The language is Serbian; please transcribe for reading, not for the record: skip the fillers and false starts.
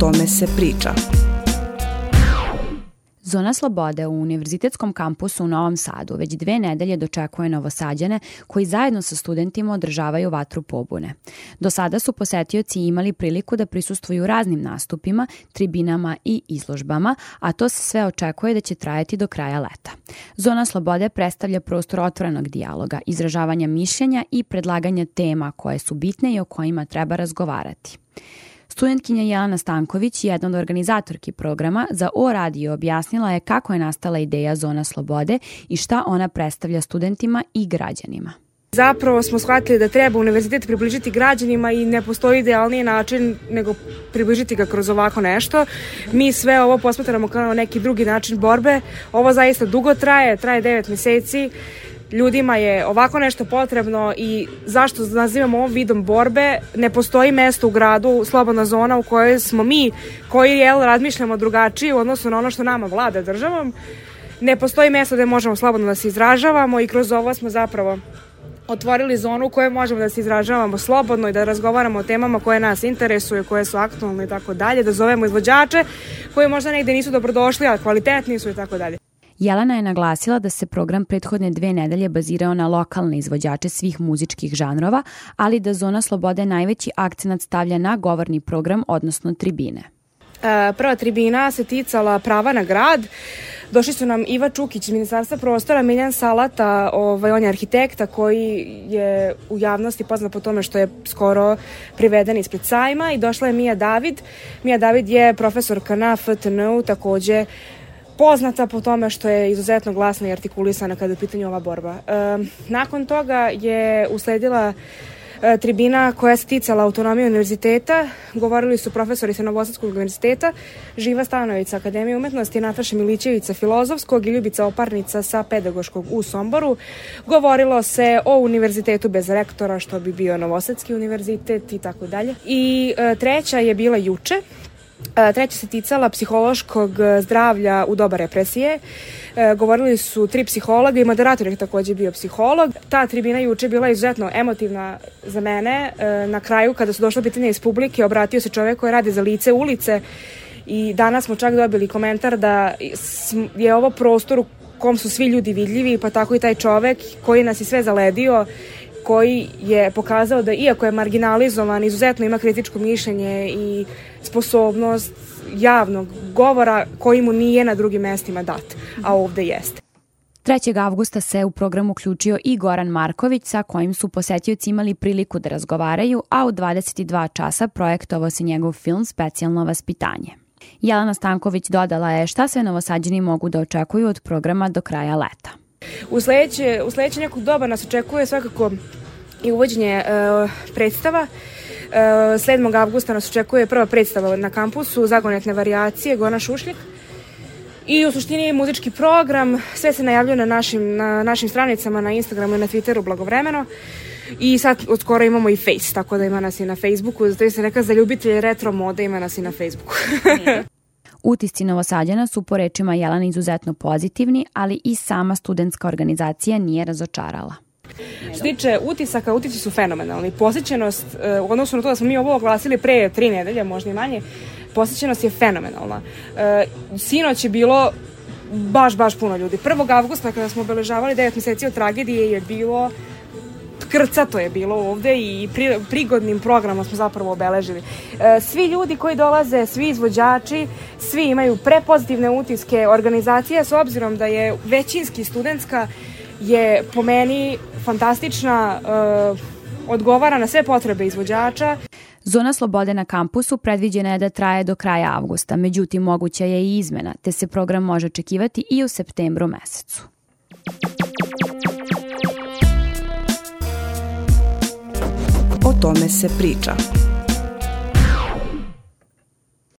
tome se priča. Zona slobode u Univerzitetskom kampusu u Novom Sadu već 2 nedelje dočekuje Novosađane koji zajedno sa studentima održavaju vatru pobune. Do sada su posetioci imali priliku da prisustvuju raznim nastupima, tribinama i izložbama, a to se sve očekuje da će trajati do kraja leta. Zona slobode predstavlja prostor otvorenog dijaloga, izražavanja mišljenja i predlaganja tema koje su bitne i o kojima treba razgovarati. Studentkinja Jelena Stanković, jedna od organizatorki programa, za O Radio objasnila je kako je nastala ideja Zona slobode i šta ona predstavlja studentima i građanima. Zapravo smo shvatili da treba univerzitet približiti građanima i ne postoji idealniji način nego približiti ga kroz ovako nešto. Mi sve ovo posmatramo kao neki drugi način borbe. Ovo zaista dugo traje 9 meseci. Ljudima je ovako nešto potrebno i zašto nazivamo ovom vidom borbe? Ne postoji mesto u gradu, slobodna zona u kojoj smo mi, koji razmišljamo drugačije u odnosu na ono što nama vlada državom. Ne postoji mesto gde možemo slobodno da se izražavamo i kroz ovo smo zapravo otvorili zonu u kojoj možemo da se izražavamo slobodno i da razgovaramo o temama koje nas interesuju, koje su aktualne i tako dalje, da zovemo izvođače koji možda negde nisu dobrodošli, ali kvalitetni su i tako dalje. Jelena je naglasila da se program prethodne 2 nedelje bazirao na lokalne izvođače svih muzičkih žanrova, ali da Zona slobode najveći akcenat stavlja na govorni program, odnosno tribine. Prva tribina se ticala prava na grad. Došli su nam Iva Čukić iz Ministarstva prostora, Miljan Salata, on je arhitekta koji je u javnosti poznat po tome što je skoro priveden ispred sajma, i došla je Mija David. Mija David je profesorka na FTN-u, takođe poznata po tome što je izuzetno glasna i artikulisana kada je u pitanju ova borba. Nakon toga je usledila tribina koja se ticala autonomije univerziteta. Govorili su profesori sa Novosadskog univerziteta, Živa Stanović sa Akademije umetnosti, Nataša Milićević sa Filozofskog i Ljubica Oparnica sa Pedagoškog u Somboru. Govorilo se o univerzitetu bez rektora, što bi bio Novosadski univerzitet i tako dalje. I treća je bila juče. Treća se ticala psihološkog zdravlja u doba represije. Govorili su 3 psihologa i moderator je takođe bio psiholog. Ta tribina juče bila izuzetno emotivna za mene. Na kraju, kada su došla pitanja iz publike, obratio se čovek koji radi za Lice ulice i danas smo čak dobili komentar da je ovo prostor u kom su svi ljudi vidljivi, pa tako i taj čovek koji nas je sve zaledio, koji je pokazao da iako je marginalizovan, izuzetno ima kritičko mišljenje i sposobnost javnog govora koji mu nije na drugim mestima dat, a ovde jeste. 3. avgusta se u program uključio i Goran Marković, sa kojim su posetioci imali priliku da razgovaraju, a u 22 časa projektovao se njegov film Specijalno vaspitanje. Jelena Stanković dodala je šta sve Novosađani mogu da očekuju od programa do kraja leta. U sledeće nekog doba nas očekuje svakako i uvođenje predstava. 7. avgusta nas očekuje prva predstava na kampusu, Zagonetne varijacije, Gona Šušljak. I u suštini muzički program, sve se najavljuje na našim stranicama, na Instagramu i na Twitteru blagovremeno. I sad od skoro imamo i Face, tako da ima nas i na Facebooku. Zato se neka za ljubitelje retro mode ima nas i na Facebooku. Utisci Novosađana su po rečima Jelena izuzetno pozitivni, ali i sama studentska organizacija nije razočarala. Što tiče utisaka, utisci su fenomenalni. Posjećenost, u odnosu na to da smo mi ovo oglasili pre 3 nedelje, možda i manje, posjećenost je fenomenalna. Sinoć je bilo baš puno ljudi. 1. avgusta kada smo obeležavali 9 meseci od tragedije je bilo krcato je bilo ovde i prigodnim programom smo zapravo obeležili. Svi ljudi koji dolaze, svi izvođači, svi imaju prepozitivne utiske. Organizacija, s obzirom da je većinski studentska, je po meni fantastična, odgovara na sve potrebe izvođača. Zona slobode na kampusu predviđena je da traje do kraja avgusta, međutim moguća je i izmena, te se program može očekivati i u septembru mesecu. O tome se priča.